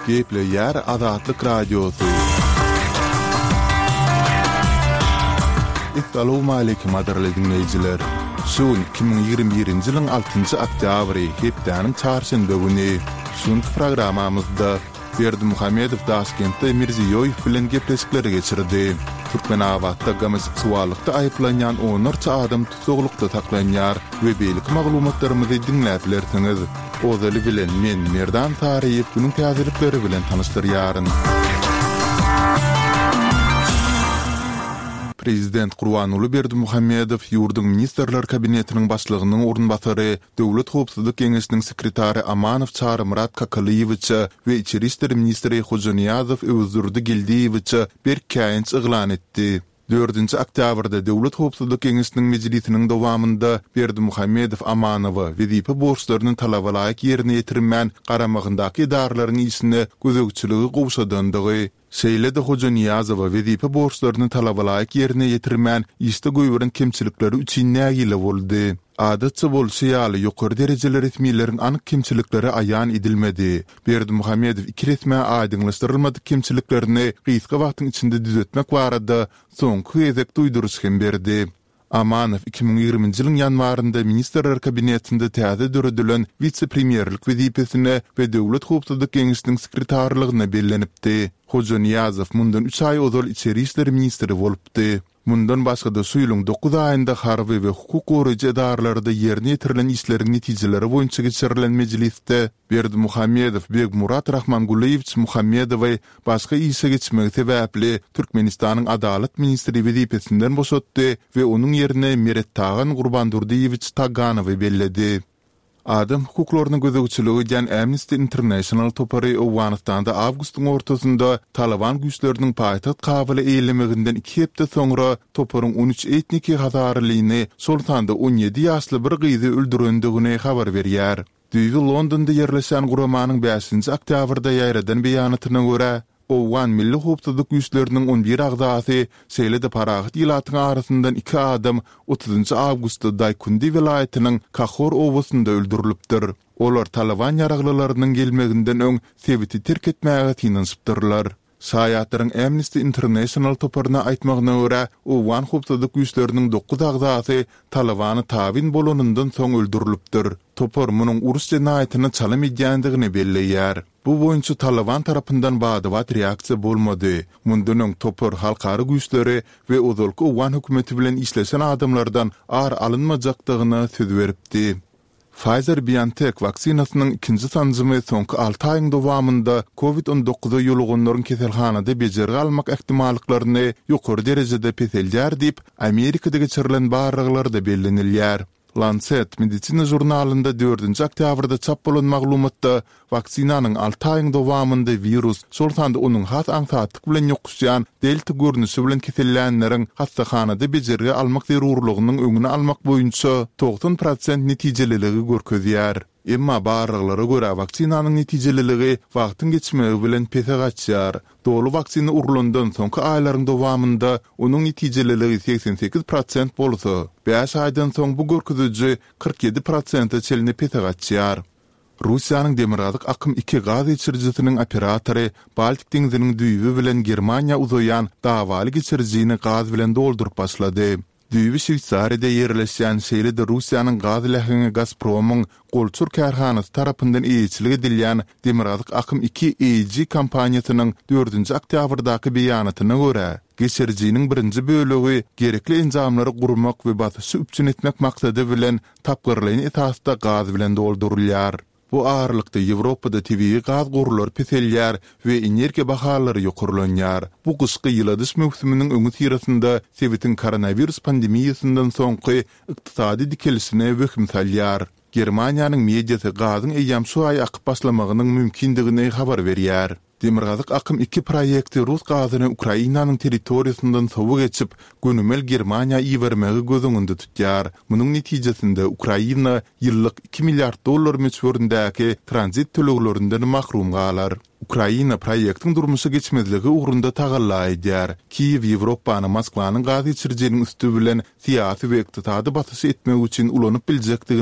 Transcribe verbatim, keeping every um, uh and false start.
Gepleýär Azatlyk Radiosy. Essalawmaleýkim gadyrly diňleýjiler! Şu gün iki müň ýigrimi birinji ýylyň altynjy oktýabry, hepdäniň çarşenbe güni. Şu günki programmamyzda Berdimuhamedow Daşkentde Mirziýoýew bilen gepleşikleri geçirdi. Türkmenabatda gomoseksuallykda aýyplanýan onlarça adam tussaglykda saklanýar we beýleki maglumatlarymyzy diňläp bilersiňiz. Ozaly bilen men, Merdan Saryýew günüň täzelikleri bilen tanyşdyrýaryn. Prezident Gurbanguly Berdimuhamedow ýurduň Ministrler Kabinetiniň Başlygynyň orunbasary, Döwlet howpsuzlyk geňeşiniň sekretary Amanow Çarymyrat Kakalyýewiçe we içeri işler ministri Hojanyýazow Öwezdurdy Geldiýewiçe berk käýinç yglan etdi. Dördünji oktýabrda Döwlet howpsuzlyk geňeşiniň mejlisiniň dowamynda Berdimuhamedow Amanowa wezipe borçlaryny talabalaýyk ýerine ýetirmän garamagyndaky edaralaryň işine gözegçiligi gowşadandygy, şeýle-de Hojanyýazowa wezipe borçlaryny talabalaýyk ýerine ýetirmän işde goýberen kemçilikleri üçin nägile boldy. Adatça bolşy ýaly, ýokary derejeli resmileriň anyk kemçilikleri aýan edilmedi. Berdimuhamedow iki resmä aýdyňlaşdyrylmadyk kemçiliklerini gysga wagtyň içinde düzetmek barada soňky gezek duýduryş hem berdi. Amanow iki müň ýigriminji ýylyň ýanwarynda Ministrler Kabinetinde täze döredilen wise-premýerlik wezipesine we Döwlet howpsuzlyk geňeşiniň sekretarlygyna bellenipdi. Hojanyýazow mundan üç aý ozal içeri işler ministri bolupdy. Mundan başga-da şu ýylyň dokuz aýynda harby we hukuk goraýjy edaralarda ýerine ýetirilen işleriň netijeleri boýunça geçirilen mejlisde Berdimuhamedow Begmurat Rahmangulyýewiç Muhammedowy başga işe geçmegi sebäpli Türkmenistanyň Adalat ministri wezipesinden boşatdy we onuň ýerine Merettagan Gurbandurdyýewiç Taganowy belledi. Adam hukuklaryna gözegçilik edýän Amnesty International topary Owganystanda awgustyň ortasynda Talyban güýçleriniň paýtagt Kabuly eýelemeginden iki hepde soňra toparyň on üç etniki hazarylyny, şol sanda on ýedi ýaşly bir gyzy öldürendigini habar berýär. Düýbi Londonda ýerleşýän guramanyň bäşinji oktýabrda ýaýradan beýanatyna görä, Owgan milli howpsuzlyk güýçleriniň on bir agzasy, şeýle-de parahat ilatyň arasyndan iki adam otuzynjy awgustda Daýkundi welaýatynyň Kahor obasynda öldürilipdir. Olar Talyban ýaraglylarynyň gelmeginden öň sebiti terk etmäge synanyşypdyrlar. Şaýatlaryň Amnesty International toparyna aýtmagyna görä, owgan howpsuzlyk güýçleriniň dokuz agzasy Talybana tabyn bolanyndan soň öldürilipdir. Topar munuň uruş jenaýatyna çalym edýändigini belleýär. Bu boýunça Talyban tarapyndan bada-bat reaksiýa bolmady. Mundan öň topar halkara güýçleri we ozalky owgan hökümeti bilen işleşen adamlardan ar alynmajakdygyna söz beripdi. Pfizer-BioNTech waksinasynyň ikinji sanjymy soňky alty aýyň dowamynda Covid on dokuza ýoluganlaryň keselhanada bejergi almak ähtimallyklaryny ýokary derejede peseldýär diýip, Amerikada geçirilen barlaglarda bellenilýär. Lancet medisina žurnalynda dördünji oktýabrda çap bolan maglumatda waksinanyň alty aýyň dowamynda wirus, şol sanda onuň has aňsatlyk bilen ýokuşýan delta görnüşi bilen kesellänleriň hassahanada bejergi almak zerurlygynyň öňüni almak boýunça togsan prosent netijeliligi görkezýär. Emma barlaglara görä waksinanyň netijeliligi wagtyň geçmegi bilen pese gaçýar. Doly waksina urlandan soňky aýlaryň dowamynda onuň netijeliligi segsen sekiz prosent bolsa, bäş aýdan soň bu görkeziji kyrk ýedi prosente çenli pese gaçýar. Russiýanyň Demirgazyk akym iki gaz geçirijisiniň operatory Baltik deňziniň düýbi bilen Germaniýa uzaýan dawaly geçirijini gaz bilen dolduryp başlady. Düýbi Şweýsariýada ýerleşýän, şeýle-de Russiýanyň gaz läheňi Gazpromyň golçur kärhanasy tarapyndan eýeçilik edilýän Demirgazyk akym iki A G kompaniýasynyň dördünji oktýabrdaky beýanatyna görä, geçirijiniň birinji bölegi gerekli enjamlary gurmak we basyşy üpjün etmek maksady bilen tapgyrlaýyn esasda gaz bilen doldurylýar. Bu aralykda Ýewropada tebigy gaz gorlary peselýär we energiýa bahalary ýokarlanýar. Bu gyşky ýyladyş möwsüminiň öňüsyrasynda sebitiň koronawirus pandemiýasyndan soňky ykdysady dikelişine wehim salýar. Germaniýanyň mediasy gazyň eýýäm şu aý akyp başlamagynyň mümkindigini habar berýär. Demirgazyk akym iki proýekti rus gazyny Ukrainanyň territoriýasyndan sowa geçip, gönümel Germaniýa ibermegi göz öňünde tutýar. Munuň netijesinde Ukraina ýyllyk iki milliard dollar möçberindäki tranzit töleglerinden mahrum galar. Ukraina proýektiň durmuşa geçmezligi ugrunda tagalla edýär. Kiýew Ýewropany Moskwanyň gaz geçirijiniň üsti bilen syýasy we ykdysady basyş etmek üçin ulanyp biljekdigini